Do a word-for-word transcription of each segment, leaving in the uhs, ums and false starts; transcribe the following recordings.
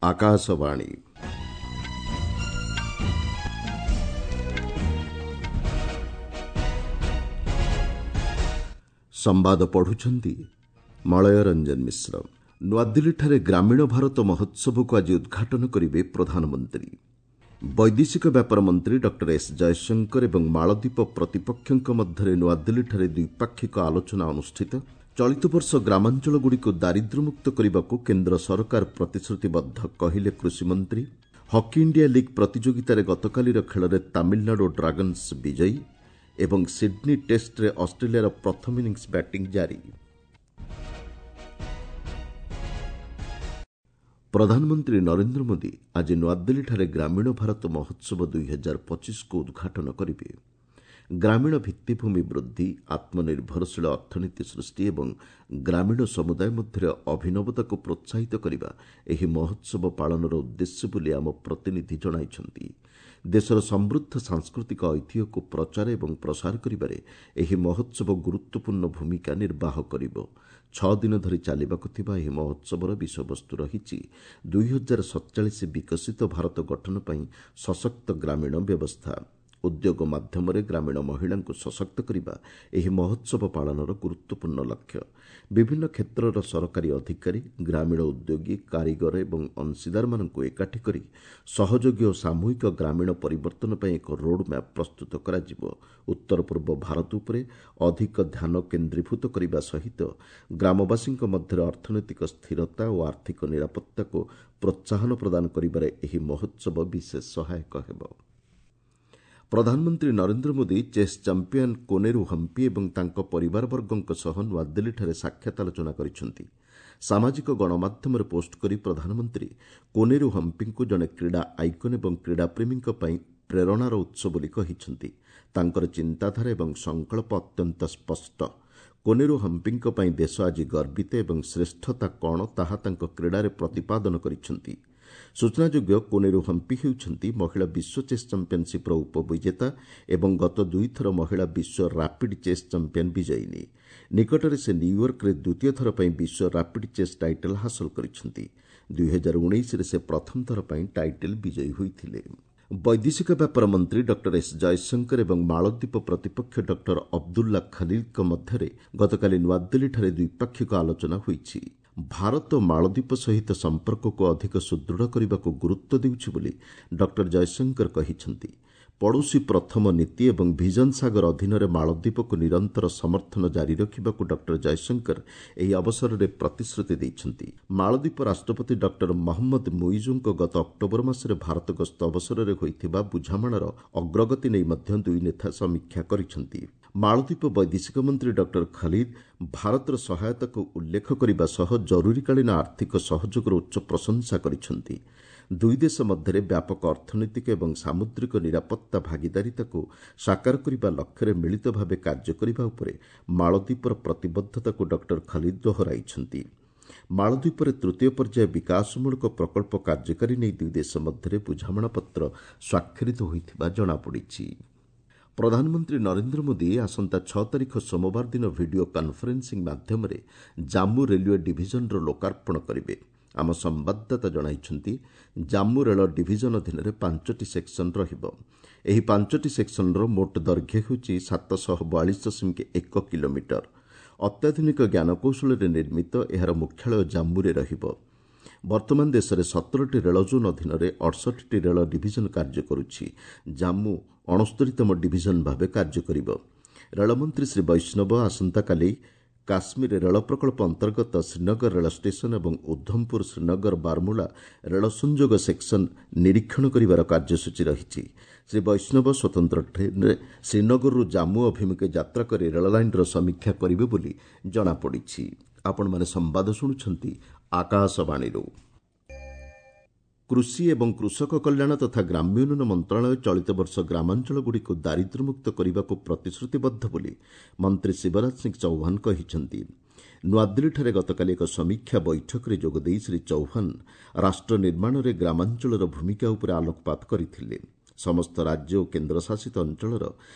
ଆକାଶବାଣୀ। ସମ୍ବାଦ ପଢୁଛନ୍ତି ମଳୟ ରଞ୍ଜନ ମିଶ୍ର। ନୂଆଦିଲ୍ଲୀଠାରେ ଗ୍ରାମୀଣ ଭାରତ ମହୋତ୍ସବକୁ ଆଜି ଉଦ୍ଘାଟନ କରିବେ ପ୍ରଧାନମନ୍ତ୍ରୀ। ବୈଦେଶିକ ବ୍ୟାପାର ମନ୍ତ୍ରୀ ଡକ୍ଟର ଏସ୍ ଜୟଶଙ୍କର ଏବଂ ମାଳଦ୍ୱୀପ ପ୍ରତିପକ୍ଷଙ୍କ ମଧ୍ୟରେ ନୂଆଦିଲ୍ଲୀଠାରେ ଦ୍ୱିପାକ୍ଷିକ ଆଲୋଚନା ଅନୁଷ୍ଠିତ। ଚଳିତ ବର୍ଷ ଗ୍ରାମାଞ୍ଚଳଗୁଡ଼ିକୁ ଦାରିଦ୍ର୍ୟମୁକ୍ତ କରିବାକୁ କେନ୍ଦ୍ର ସରକାର ପ୍ରତିଶ୍ରୁତିବଦ୍ଧ, କହିଲେ କୃଷିମନ୍ତ୍ରୀ। ହକି ଇଣ୍ଡିଆ ଲିଗ୍ ପ୍ରତିଯୋଗିତାରେ ଗତକାଲିର ଖେଳରେ ତାମିଲନାଡୁ ଡ୍ରାଗନ୍ସ ବିଜୟୀ ଏବଂ ସିଡ୍ନୀ ଟେଷ୍ଟରେ ଅଷ୍ଟ୍ରେଲିଆର ପ୍ରଥମ ଇନିଂସ ବ୍ୟାଟିଂ ଜାରି। ପ୍ରଧାନମନ୍ତ୍ରୀ ନରେନ୍ଦ୍ର ମୋଦି ଆଜି ନୂଆଦିଲ୍ଲୀଠାରେ ଗ୍ରାମୀଣ ଭାରତ ମହୋତ୍ସବ ଦୁଇହଜାର ପଚିଶକୁ ଉଦ୍ଘାଟନ କରିବେ। ଗ୍ରାମୀଣ ଭିତ୍ତିଭୂମି ବୃଦ୍ଧି, ଆତ୍ମନିର୍ଭରଶୀଳ ଅର୍ଥନୀତି ସୃଷ୍ଟି ଏବଂ ଗ୍ରାମୀଣ ସମୁଦାୟ ମଧ୍ୟରେ ଅଭିନବତାକୁ ପ୍ରୋତ୍ସାହିତ କରିବା ଏହି ମହୋତ୍ସବ ପାଳନର ଉଦ୍ଦେଶ୍ୟ ବୋଲି ଆମ ପ୍ରତିନିଧି ଜଣାଇଛନ୍ତି। ଦେଶର ସମୃଦ୍ଧ ସାଂସ୍କୃତିକ ଐତିହ୍ୟକୁ ପ୍ରଚାର ଏବଂ ପ୍ରସାର କରିବାରେ ଏହି ମହୋତ୍ସବ ଗୁରୁତ୍ୱପୂର୍ଣ୍ଣ ଭୂମିକା ନିର୍ବାହ କରିବ। ଛଅ ଦିନ ଧରି ଚାଲିବାକୁ ଥିବା ଏହି ମହୋତ୍ସବର ବିଷୟବସ୍ତୁ ରହିଛି ଦୁଇହଜାର ସତଚାଳିଶ ବିକଶିତ ଭାରତ ଗଠନ ପାଇଁ ସଶକ୍ତ ଗ୍ରାମୀଣ ବ୍ୟବସ୍ଥା। ଉଦ୍ୟୋଗ ମାଧ୍ୟମରେ ଗ୍ରାମୀଣ ମହିଳାଙ୍କୁ ସଶକ୍ତ କରିବା ଏହି ମହୋତ୍ସବ ପାଳନର ଗୁରୁତ୍ୱପୂର୍ଣ୍ଣ ଲକ୍ଷ୍ୟ। ବିଭିନ୍ନ କ୍ଷେତ୍ରର ସରକାରୀ ଅଧିକାରୀ, ଗ୍ରାମୀଣ ଉଦ୍ୟୋଗୀ, କାରିଗର ଏବଂ ଅଂଶୀଦାରମାନଙ୍କୁ ଏକାଠି କରି ସହଯୋଗୀ ଓ ସାମୂହିକ ଗ୍ରାମୀଣ ପରିବର୍ତ୍ତନ ପାଇଁ ଏକ ରୋଡ୍ମ୍ୟାପ୍ ପ୍ରସ୍ତୁତ କରାଯିବ। ଉତ୍ତର ପୂର୍ବ ଭାରତ ଉପରେ ଅଧିକ ଧ୍ୟାନ କେନ୍ଦ୍ରୀଭୂତ କରିବା ସହିତ ଗ୍ରାମବାସୀଙ୍କ ମଧ୍ୟରେ ଅର୍ଥନୈତିକ ସ୍ଥିରତା ଓ ଆର୍ଥିକ ନିରାପତ୍ତାକୁ ପ୍ରୋତ୍ସାହନ ପ୍ରଦାନ କରିବାରେ ଏହି ମହୋତ୍ସବ ବିଶେଷ ସହାୟକ ହେବ। ପ୍ରଧାନମନ୍ତ୍ରୀ ନରେନ୍ଦ୍ର ମୋଦି ଚେସ୍ ଚାମ୍ପିୟନ୍ କୋନେରୁ ହମ୍ପି ଏବଂ ତାଙ୍କ ପରିବାରବର୍ଗଙ୍କ ସହ ନୂଆଦିଲ୍ଲୀଠାରେ ସାକ୍ଷାତ ଆଲୋଚନା କରିଛନ୍ତି। ସାମାଜିକ ଗଣମାଧ୍ୟମରେ ପୋଷ୍ଟ କରି ପ୍ରଧାନମନ୍ତ୍ରୀ କୋନେରୁ ହମ୍ପିଙ୍କୁ ଜଣେ କ୍ରୀଡ଼ା ଆଇକନ୍ ଏବଂ କ୍ରୀଡ଼ାପ୍ରେମୀଙ୍କ ପାଇଁ ପ୍ରେରଣାର ଉତ୍ସ ବୋଲି କହିଛନ୍ତି। ତାଙ୍କର ଚିନ୍ତାଧାରା ଏବଂ ସଂକଳ୍ପ ଅତ୍ୟନ୍ତ ସ୍ପଷ୍ଟ। କୋନେରୁ ହମ୍ପିଙ୍କ ପାଇଁ ଦେଶ ଆଜି ଗର୍ବିତ ଏବଂ ଶ୍ରେଷ୍ଠତା କ'ଣ ତାହା ତାଙ୍କ କ୍ରୀଡ଼ାରେ ପ୍ରତିପାଦନ କରିଛନ୍ତି। ସୂଚନାଯୋଗ୍ୟ, କୋନେରୁ ହମ୍ପି ହେଉଛନ୍ତି ମହିଳା ବିଶ୍ୱ ଚେସ୍ ଚାମ୍ପିୟନ୍ସିପ୍ର ଉପବିଜେତା ଏବଂ ଗତ ଦୁଇଥର ମହିଳା ବିଶ୍ୱ ରାପିଡ୍ ଚେସ୍ ଚାମ୍ପିୟନ୍ ବିଜୟିନୀ। ନିକଟରେ ସେ ନ୍ୟୁୟର୍କରେ ଦ୍ୱିତୀୟ ଥର ପାଇଁ ବିଶ୍ୱ ରାପିଡ୍ ଚେସ୍ ଟାଇଟଲ୍ ହାସଲ କରିଛନ୍ତି। ଦୁଇହଜାର ଉଣେଇଶରେ ସେ ପ୍ରଥମ ଥର ପାଇଁ ଟାଇଟଲ୍ ବିଜୟୀ ହୋଇଥିଲେ। ବୈଦେଶିକ ବ୍ୟାପାର ମନ୍ତ୍ରୀ ଡକ୍ଟର ଏସ୍ ଜୟଶଙ୍କର ଏବଂ ମାଳଦ୍ୱୀପ ପ୍ରତିପକ୍ଷ ଡକ୍ଟର ଅବଦୁଲ୍ଲା ଖଲିଲ୍ଙ୍କ ମଧ୍ୟରେ ଗତକାଲି ନୂଆଦିଲ୍ଲୀଠାରେ ଦ୍ୱିପାକ୍ଷିକ ଆଲୋଚନା ହୋଇଛି। ଭାରତ ମାଳଦ୍ୱୀପ ସହିତ ସମ୍ପର୍କକୁ ଅଧିକ ସୁଦୃଢ଼ କରିବାକୁ ଗୁରୁତ୍ୱ ଦେଉଛି ବୋଲି ଡକ୍ଟର ଜୟଶଙ୍କର କହିଛନ୍ତି। ପଡ଼ୋଶୀ ପ୍ରଥମ ନୀତି ଏବଂ ଭିଜନ ସାଗର ଅଧୀନରେ ମାଳଦ୍ୱୀପକୁ ନିରନ୍ତର ସମର୍ଥନ ଜାରି ରଖିବାକୁ ଡକ୍ଟର ଜୟଶଙ୍କର ଏହି ଅବସରରେ ପ୍ରତିଶ୍ରୁତି ଦେଇଛନ୍ତି। ମାଳଦ୍ୱୀପ ରାଷ୍ଟ୍ରପତି ଡକ୍ଟର ମହମ୍ମଦ ମୁଇଜୁଙ୍କ ଗତ ଅକ୍ଟୋବର ମାସରେ ଭାରତ ଗସ୍ତ ଅବସରରେ ହୋଇଥିବା ବୁଝାମଣାର ଅଗ୍ରଗତି ନେଇ ମଧ୍ୟ ଦୁଇ ନେତା ସମୀକ୍ଷା କରିଛନ୍ତି। ମାଳଦ୍ୱୀପ ବୈଦେଶିକ ମନ୍ତ୍ରୀ ଡକ୍ଟର ଖଲିଦ୍ ଭାରତର ସହାୟତାକୁ ଉଲ୍ଲେଖ କରିବା ସହ ଜରୁରୀକାଳୀନ ଆର୍ଥିକ ସହଯୋଗର ଉଚ୍ଚ ପ୍ରଶଂସା କରିଛନ୍ତି। ଦୁଇ ଦେଶ ମଧ୍ୟରେ ବ୍ୟାପକ ଅର୍ଥନୈତିକ ଏବଂ ସାମୁଦ୍ରିକ ନିରାପତ୍ତା ଭାଗିଦାରିତାକୁ ସାକାର କରିବା ଲକ୍ଷ୍ୟରେ ମିଳିତ ଭାବେ କାର୍ଯ୍ୟ କରିବା ଉପରେ ମାଳଦ୍ୱୀପର ପ୍ରତିବଦ୍ଧତାକୁ ଡକ୍ଟର ଖଲିଦ୍ ଦୋହରାଇଛନ୍ତି। ମାଳଦ୍ୱୀପରେ ତୃତୀୟ ପର୍ଯ୍ୟାୟ ବିକାଶମୂଳକ ପ୍ରକଳ୍ପ କାର୍ଯ୍ୟକାରୀ ନେଇ ଦୁଇ ଦେଶ ମଧ୍ୟରେ ବୁଝାମଣାପତ୍ର ସ୍ୱାକ୍ଷରିତ ହୋଇଥିବା ଜଣାପଡ଼ିଛି। ପ୍ରଧାନମନ୍ତ୍ରୀ ନରେନ୍ଦ୍ର ମୋଦି ଆସନ୍ତା ଛଅ ତାରିଖ ସୋମବାର ଦିନ ଭିଡିଓ କନ୍ଫରେନ୍ସିଂ ମାଧ୍ୟମରେ ଜାମ୍ମୁ ରେଲୱେ ଡିଭିଜନର ଲୋକାର୍ପଣ କରିବେ। ଆମ ସମ୍ବାଦଦାତା ଜଣାଇଛନ୍ତି, ଜାମ୍ମୁ ରେଳ ଡିଭିଜନ ଅଧୀନରେ ପାଞ୍ଚଟି ସେକ୍ସନ ରହିବ। ଏହି ପାଞ୍ଚଟି ସେକ୍ସନର ମୋଟ ଦୈର୍ଘ୍ୟ ହେଉଛି ସାତଶହ ବୟାଳିଶ ଦଶମିକ ଏକ କିଲୋମିଟର। ଅତ୍ୟାଧୁନିକ ଜ୍ଞାନକୌଶଳରେ ନିର୍ମିତ ଏହାର ମୁଖ୍ୟାଳୟ ଜାମ୍ମୁରେ ରହିବ। ବର୍ତ୍ତମାନ ଦେଶରେ ସତରଟି ରେଳ ଜୋନ୍ ଅଧୀନରେ ଅଠଷଠିଟି ରେଳ ଡିଭିଜନ କାର୍ଯ୍ୟ କରୁଛି। ଜାମ୍ମୁ ଅଣସ୍ତରୀତମ ଡିଭିଜନ ଭାବେ କାର୍ଯ୍ୟ କରିବ। ରେଳମନ୍ତ୍ରୀ ଶ୍ରୀ ବୈଷ୍ଣବ ଆସନ୍ତାକାଲି କାଶ୍ମୀର ରେଳ ପ୍ରକଳ୍ପ ଅନ୍ତର୍ଗତ ଶ୍ରୀନଗର ରେଳ ଷ୍ଟେସନ ଏବଂ ଉଦ୍ଧମପୁର ଶ୍ରୀନଗର ବାରମୁଲା ରେଳ ସଂଯୋଗ ସେକ୍ସନ ନିରୀକ୍ଷଣ କରିବାର କାର୍ଯ୍ୟସୂଚୀ ରହିଛି। ଶ୍ରୀ ବୈଷ୍ଣବ ସ୍ୱତନ୍ତ୍ର ଟ୍ରେନ୍ରେ ଶ୍ରୀନଗରରୁ ଜାମ୍ମୁ ଅଭିମୁଖେ ଯାତ୍ରା କରି ରେଳଲାଇନ୍ର ସମୀକ୍ଷା କରିବେ ବୋଲି ଜଣାପଡ଼ିଛି। ଆପଣମାନେ ସମ୍ବାଦ ଶୁଣୁଛନ୍ତି ଆକାଶବାଣୀରୁ। କୃଷି ଏବଂ କୃଷକ କଲ୍ୟାଣ ତଥା ଗ୍ରାମ୍ୟ ଉନ୍ନୟନ ମନ୍ତ୍ରଣାଳୟ ଚଳିତ ବର୍ଷ ଗ୍ରାମାଞ୍ଚଳଗୁଡ଼ିକୁ ଦାରିଦ୍ର୍ୟମୁକ୍ତ କରିବାକୁ ପ୍ରତିଶ୍ରୁତିବଦ୍ଧ ବୋଲି ମନ୍ତ୍ରୀ ଶିବରାଜ ସିଂ ଚୌହାନ କହିଛନ୍ତି। ନୂଆଦିଲ୍ଲୀଠାରେ ଗତକାଲି ଏକ ସମୀକ୍ଷା ବୈଠକରେ ଯୋଗଦେଇ ଶ୍ରୀ ଚୌହାନ ରାଷ୍ଟ୍ର ନିର୍ମାଣରେ ଗ୍ରାମାଞ୍ଚଳର ଭୂମିକା ଉପରେ ଆଲୋକପାତ କରିଥିଲେ। ସମସ୍ତ ରାଜ୍ୟ ଓ କେନ୍ଦ୍ରଶାସିତ ଅଞ୍ଚଳର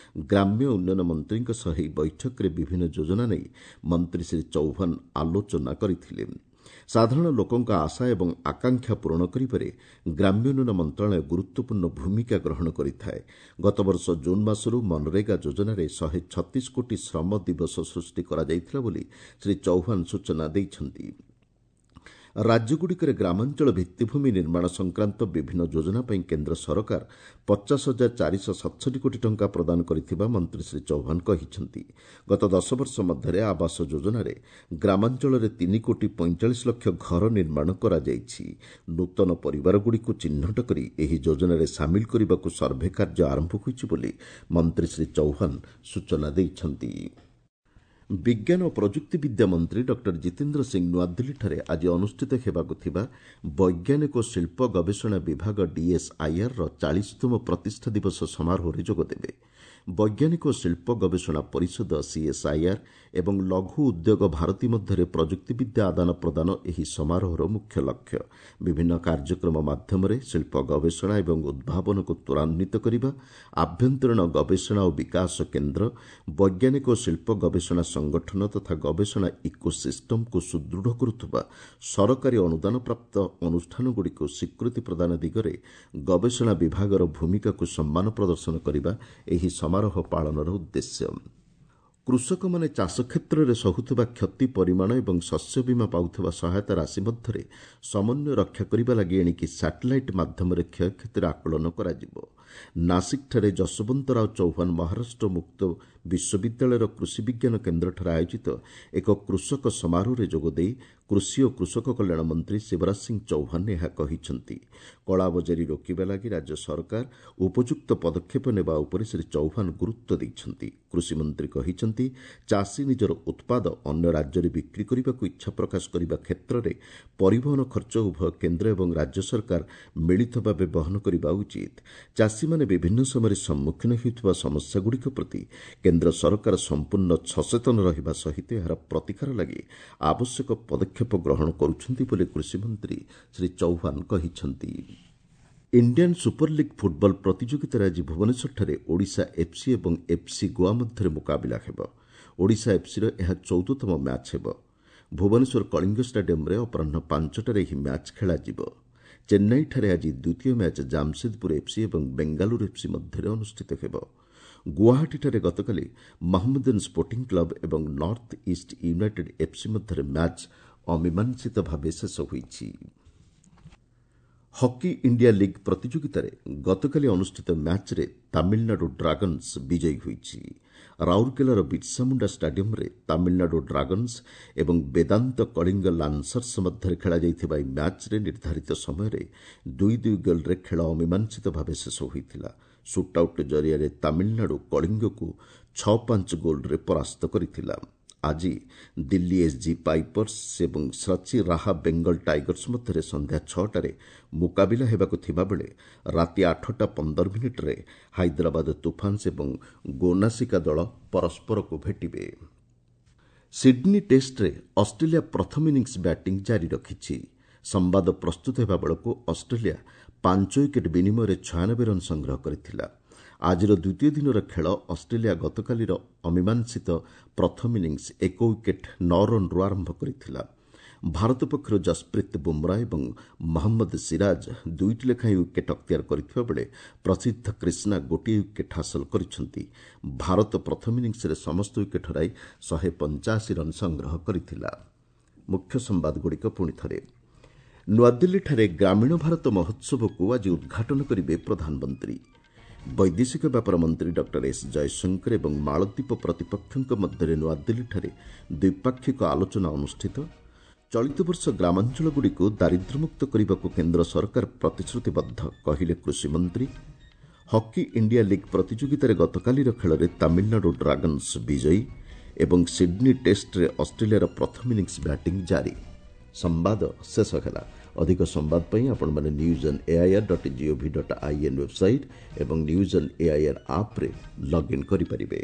ଗ୍ରାମ୍ୟ ଉନ୍ନୟନ ମନ୍ତ୍ରୀଙ୍କ ସହ ଏହି ବୈଠକରେ ବିଭିନ୍ନ ଯୋଜନା ନେଇ ମନ୍ତ୍ରୀ ଶ୍ରୀ ଚୌହାନ ଆଲୋଚନା କରିଥିଲେ। ସାଧାରଣ ଲୋକଙ୍କ ଆଶା ଏବଂ ଆକାଂକ୍ଷା ପୂରଣ କରିବାରେ ଗ୍ରାମ୍ୟ ଉନ୍ନୟନ ମନ୍ତ୍ରଣାଳୟ ଗୁରୁତ୍ୱପୂର୍ଣ୍ଣ ଭୂମିକା ଗ୍ରହଣ କରିଥାଏ। ଗତବର୍ଷ ଜୁନ୍ ମାସରୁ ମନରେଗା ଯୋଜନାରେ ଶହେ ଛତିଶ କୋଟି ଶ୍ରମ ଦିବସ ସୃଷ୍ଟି କରାଯାଇଥିଲା ବୋଲି ଶ୍ରୀ ଚୌହାନ ସୂଚନା ଦେଇଛନ୍ତି। ରାଜ୍ୟଗୁଡ଼ିକରେ ଗ୍ରାମାଞ୍ଚଳ ଭିତ୍ତିଭୂମି ନିର୍ମାଣ ସଂକ୍ରାନ୍ତ ବିଭିନ୍ନ ଯୋଜନା ପାଇଁ କେନ୍ଦ୍ର ସରକାର ପଚାଶ ହଜାର ଚାରିଶହ ସତଷଠି କୋଟି ଟଙ୍କା ପ୍ରଦାନ କରିଥିବା ମନ୍ତ୍ରୀ ଶ୍ରୀ ଚୌହାନ କହିଛନ୍ତି। ଗତ ଦଶ ବର୍ଷ ମଧ୍ୟରେ ଆବାସ ଯୋଜନାରେ ଗ୍ରାମାଞ୍ଚଳରେ ତିନି କୋଟି ପଇଁଚାଳିଶ ଲକ୍ଷ ଘର ନିର୍ମାଣ କରାଯାଇଛି। ନୂତନ ପରିବାରଗୁଡ଼ିକୁ ଚିହ୍ନଟ କରି ଏହି ଯୋଜନାରେ ସାମିଲ କରିବାକୁ ସର୍ଭେ କାର୍ଯ୍ୟ ଆରମ୍ଭ ହୋଇଛି ବୋଲି ମନ୍ତ୍ରୀ ଶ୍ରୀ ଚୌହାନ ସୂଚନା ଦେଇଛନ୍ତି। ବିଜ୍ଞାନ ଓ ପ୍ରଯୁକ୍ତିବିଦ୍ୟା ମନ୍ତ୍ରୀ ଡକ୍ଟର ଜିତେନ୍ଦ୍ର ସିଂ ନୂଆଦିଲ୍ଲୀଠାରେ ଆଜି ଅନୁଷ୍ଠିତ ହେବାକୁ ଥିବା ବୈଜ୍ଞାନିକ ଓ ଶିଳ୍ପ ଗବେଷଣା ବିଭାଗ ଡିଏସ୍ଆଇଆର୍ର ଚାଳିଶତମ ପ୍ରତିଷ୍ଠା ଦିବସ ସମାରୋହରେ ଯୋଗଦେବେ। ବୈଜ୍ଞାନିକ ଓ ଶିଳ୍ପ ଗବେଷଣା ପରିଷଦ ସିଏସ୍ଆଇଆର୍ ଏବଂ ଲଘୁ ଉଦ୍ୟୋଗ ଭାରତୀ ମଧ୍ୟରେ ପ୍ରଯୁକ୍ତିବିଦ୍ୟା ଆଦାନ ପ୍ରଦାନ ଏହି ସମାରୋହର ମୁଖ୍ୟ ଲକ୍ଷ୍ୟ। ବିଭିନ୍ନ କାର୍ଯ୍ୟକ୍ରମ ମାଧ୍ୟମରେ ଶିଳ୍ପ ଗବେଷଣା ଏବଂ ଉଦ୍ଭାବନକୁ ତ୍ୱରାନ୍ୱିତ କରିବା, ଆଭ୍ୟନ୍ତରୀଣ ଗବେଷଣା ଓ ବିକାଶ କେନ୍ଦ୍ର, ବୈଜ୍ଞାନିକ ଓ ଶିଳ୍ପ ଗବେଷଣା ସଂଗଠନ ତଥା ଗବେଷଣା ଇକୋସିଷ୍ଟମକୁ ସୁଦୃଢ଼ କରୁଥିବା ସରକାରୀ ଅନୁଦାନପ୍ରାପ୍ତ ଅନୁଷ୍ଠାନଗୁଡ଼ିକୁ ସ୍ୱୀକୃତି ପ୍ରଦାନ ଦିଗରେ ଗବେଷଣା ବିଭାଗର ଭୂମିକାକୁ ସମ୍ମାନ ପ୍ରଦର୍ଶନ କରିବା ଏହି ସମାରୋହ ପାଳନର ଉଦ୍ଦେଶ୍ୟ। କୃଷକମାନେ ଚାଷ କ୍ଷେତ୍ରରେ ସହୁଥିବା କ୍ଷତି ପରିମାଣ ଏବଂ ଶସ୍ୟ ବୀମା ପାଉଥିବା ସହାୟତା ରାଶି ମଧ୍ୟରେ ସମନ୍ୱୟ ରକ୍ଷା କରିବା ଲାଗି ଏଣିକି ସାଟେଲାଇଟ୍ ମାଧ୍ୟମରେ କ୍ଷୟକ୍ଷତିର ଆକଳନ କରାଯିବ। ନାସିକ୍ଠାରେ ଯଶୋବନ୍ତରାଓ ଚୌହାନ ମହାରାଷ୍ଟ୍ର ମୁକ୍ତ ବିଶ୍ୱବିଦ୍ୟାଳୟର କୃଷି ବିଜ୍ଞାନ କେନ୍ଦ୍ରଠାରେ ଆୟୋଜିତ ଏକ କୃଷକ ସମାରୋହରେ ଯୋଗଦେଇ କୃଷି ଓ କୃଷକ କଲ୍ୟାଣ ମନ୍ତ୍ରୀ ଶିବରାଜ ସିଂ ଚୌହାନ ଏହା କହିଛନ୍ତି। କଳାବଜାରୀ ରୋକିବା ଲାଗି ରାଜ୍ୟ ସରକାର ଉପଯୁକ୍ତ ପଦକ୍ଷେପ ନେବା ଉପରେ ଶ୍ରୀ ଚୌହାନ ଗୁରୁତ୍ୱ ଦେଇଛନ୍ତି। କୃଷିମନ୍ତ୍ରୀ କହିଛନ୍ତି, ଚାଷୀ ନିଜର ଉତ୍ପାଦ ଅନ୍ୟ ରାଜ୍ୟରେ ବିକ୍ରି କରିବାକୁ ଇଚ୍ଛା ପ୍ରକାଶ କରିବା କ୍ଷେତ୍ରରେ ପରିବହନ ଖର୍ଚ୍ଚ ଉଭୟ କେନ୍ଦ୍ର ଏବଂ ରାଜ୍ୟ ସରକାର ମିଳିତ ଭାବେ ବହନ କରିବା ଉଚିତ। ଚାଷୀମାନେ ବିଭିନ୍ନ ସମୟରେ ସମ୍ମୁଖୀନ ହେଉଥିବା ସମସ୍ୟାଗୁଡ଼ିକ ପ୍ରତି କେନ୍ଦ୍ର ସରକାର ସମ୍ପୂର୍ଣ୍ଣ ସଚେତନ ରହିବା ସହିତ ଏହାର ପ୍ରତିକାର ଲାଗି ଆବଶ୍ୟକ ପଦକ୍ଷେପ ଗ୍ରହଣ କରୁଛନ୍ତି ବୋଲି କୃଷିମନ୍ତ୍ରୀ ଶ୍ରୀ ଚୌହାନ କହିଛନ୍ତି। ଇଣ୍ଡିଆନ୍ ସୁପର ଲିଗ୍ ଫୁଟବଲ ପ୍ରତିଯୋଗିତାରେ ଆଜି ଭୁବନେଶ୍ୱରଠାରେ ଓଡ଼ିଶା ଏଫ୍ସି ଏବଂ ଏଫ୍ସି ଗୋଆ ମଧ୍ୟରେ ମୁକାବିଲା ହେବ। ଓଡ଼ିଶା ଏଫ୍ସିର ଏହା ଚଉଦତମ ମ୍ୟାଚ୍ ହେବ। ଭୁବନେଶ୍ୱର କଳିଙ୍ଗ ଷ୍ଟାଡିୟମ୍ରେ ଅପରାହ୍ନ ପାଞ୍ଚଟାରେ ଏହି ମ୍ୟାଚ୍ ଖେଳାଯିବ। ଚେନ୍ନାଇଠାରେ ଆଜି ଦ୍ୱିତୀୟ ମ୍ୟାଚ୍ ଜାମସେଦପୁର ଏଫ୍ସି ଏବଂ ବେଙ୍ଗାଲୁରୁ ଏଫ୍ସି ମଧ୍ୟରେ ଅନୁଷ୍ଠିତ ହେବ। ଗୁଆହାଟୀଠାରେ ଗତକାଲି ମହମ୍ମଦନ୍ ସ୍ପୋର୍ଟିଂ କ୍ଲବ୍ ଏବଂ ନର୍ଥ ଇଷ୍ଟ ୟୁନାଇଟେଡ୍ ଏଫ୍ସି ମଧ୍ୟରେ ମ୍ୟାଚ୍ ଅମୀମାଂସିତ ଭାବେ ଶେଷ ହୋଇଛି। ହକି ଇଣ୍ଡିଆ ଲିଗ୍ ପ୍ରତିଯୋଗିତାରେ ଗତକାଲି ଅନୁଷ୍ଠିତ ମ୍ୟାଚ୍ରେ ତାମିଲନାଡୁ ଡ୍ରାଗନ୍ସ ବିଜୟୀ ହୋଇଛି। ରାଉରକେଲାର ବିର୍ସାମୁଣ୍ଡା ଷ୍ଟାଡିୟମ୍ରେ ତାମିଲନାଡୁ ଡ୍ରାଗନ୍ସ ଏବଂ ବେଦାନ୍ତ କଳିଙ୍ଗ ଲାନ୍ସର୍ସ ମଧ୍ୟରେ ଖେଳାଯାଇଥିବା ଏହି ମ୍ୟାଚ୍ରେ ନିର୍ଦ୍ଧାରିତ ସମୟରେ ଦୁଇ ଦୁଇ ଗୋଲ୍ରେ ଖେଳ ଅମୀମାଂସିତ ଭାବେ ଶେଷ ହୋଇଥିଲା। ସୁଟ୍ଆଉଟ୍ ଜରିଆରେ ତାମିଲନାଡୁ କଳିଙ୍ଗକୁ ଛଅ ପାଞ୍ଚ ଗୋଲ୍ରେ ପରାସ୍ତ କରିଥିଲା। ଆଜି ଦିଲ୍ଲୀ ଏସ୍ଜି ପାଇପର୍ସ ଏବଂ ସଚି ରାହା ବେଙ୍ଗଲ ଟାଇଗର୍ସ ମଧ୍ୟରେ ସନ୍ଧ୍ୟା ଛଅଟାରେ ମୁକାବିଲା ହେବାକୁ ଥିବାବେଳେ ରାତି ଆଠଟା ପନ୍ଦର ମିନିଟ୍ରେ ହାଇଦ୍ରାବାଦ ତୁଫାନ୍ସ ଏବଂ ଗୋନାସିକା ଦଳ ପରସ୍ପରକୁ ଭେଟିବେ। ସିଡ୍ନୀ ଟେଷ୍ଟରେ ଅଷ୍ଟ୍ରେଲିଆ ପ୍ରଥମ ଇନିଂସ ବ୍ୟାଟିଂ ଜାରି ରଖିଛି। ସମ୍ବାଦ ପ୍ରସ୍ତୁତ ହେବା ବେଳକୁ ଅଷ୍ଟ୍ରେଲିଆ ପାଞ୍ଚ ୱିକେଟ୍ ବିନିମୟରେ ଛୟାନବେ ରନ୍ ସଂଗ୍ରହ କରିଥିଲା। ଆଜିର ଦ୍ୱିତୀୟ ଦିନର ଖେଳ ଅଷ୍ଟ୍ରେଲିଆ ଗତକାଲିର ଅମୀମାଂସିତ ପ୍ରଥମ ଇନିଂସ ଏକ ୱିକେଟ୍ ନଅ ରନ୍ରୁ ଆରମ୍ଭ କରିଥିଲା। ଭାରତ ପକ୍ଷରୁ ଯଶପ୍ରୀତ ବୁମ୍ରା ଏବଂ ମହମ୍ମଦ ସିରାଜ ଦୁଇଟି ଲେଖାଏଁ ୱିକେଟ୍ ଅକ୍ତିଆର କରିଥିବା ବେଳେ ପ୍ରସିଦ୍ଧ କ୍ରିଷ୍ଣା ଗୋଟିଏ ୱିକେଟ୍ ହାସଲ କରିଛନ୍ତି। ଭାରତ ପ୍ରଥମ ଇନିଂସରେ ସମସ୍ତ ୱିକେଟ୍ ହରାଇ ଶହେ ପଞ୍ଚାଅଶୀ ରନ୍ ସଂଗ୍ରହ କରିଥିଲା। ମୁଖ୍ୟ ସମ୍ବାଦଗୁଡ଼ିକ ପୁଣି ଥରେ। ନୂଆଦିଲ୍ଲୀଠାରେ ଗ୍ରାମୀଣ ଭାରତ ମହୋତ୍ସବକୁ ଆଜି ଉଦ୍ଘାଟନ କରିବେ ପ୍ରଧାନମନ୍ତ୍ରୀ। ବୈଦେଶିକ ବ୍ୟାପାର ମନ୍ତ୍ରୀ ଡକ୍ଟର ଏସ୍ ଜୟଶଙ୍କର ଏବଂ ମାଳଦ୍ୱୀପ ପ୍ରତିପକ୍ଷଙ୍କ ମଧ୍ୟରେ ନୂଆଦିଲ୍ଲୀଠାରେ ଦ୍ୱିପାକ୍ଷିକ ଆଲୋଚନା ଅନୁଷ୍ଠିତ। ଚଳିତ ବର୍ଷ ଗ୍ରାମାଞ୍ଚଳଗୁଡ଼ିକୁ ଦାରିଦ୍ର୍ୟମୁକ୍ତ କରିବାକୁ କେନ୍ଦ୍ର ସରକାର ପ୍ରତିଶ୍ରୁତିବଦ୍ଧ, କହିଲେ କୃଷିମନ୍ତ୍ରୀ। ହକି ଇଣ୍ଡିଆ ଲିଗ୍ ପ୍ରତିଯୋଗିତାରେ ଗତକାଲିର ଖେଳରେ ତାମିଲନାଡୁ ଡ୍ରାଗନ୍ସ ବିଜୟୀ ଏବଂ ସିଡ୍ନୀ ଟେଷ୍ଟରେ ଅଷ୍ଟ୍ରେଲିଆର ପ୍ରଥମ ଇନିଂସ ବ୍ୟାଟିଂ ଜାରି। ସମ୍ବାଦ ଶେଷ ହେଲା। ଅଧିକ ସମ୍ବାଦ ପାଇଁ ଆପଣମାନେ news on AIR dot gov dot in website ଏବଂ ନ୍ୟୁଜ୍ ଅନ୍ ଏଆଇଆର୍ ଆପ୍ରେ ଲଗ୍ଇନ୍ କରିପାରିବେ।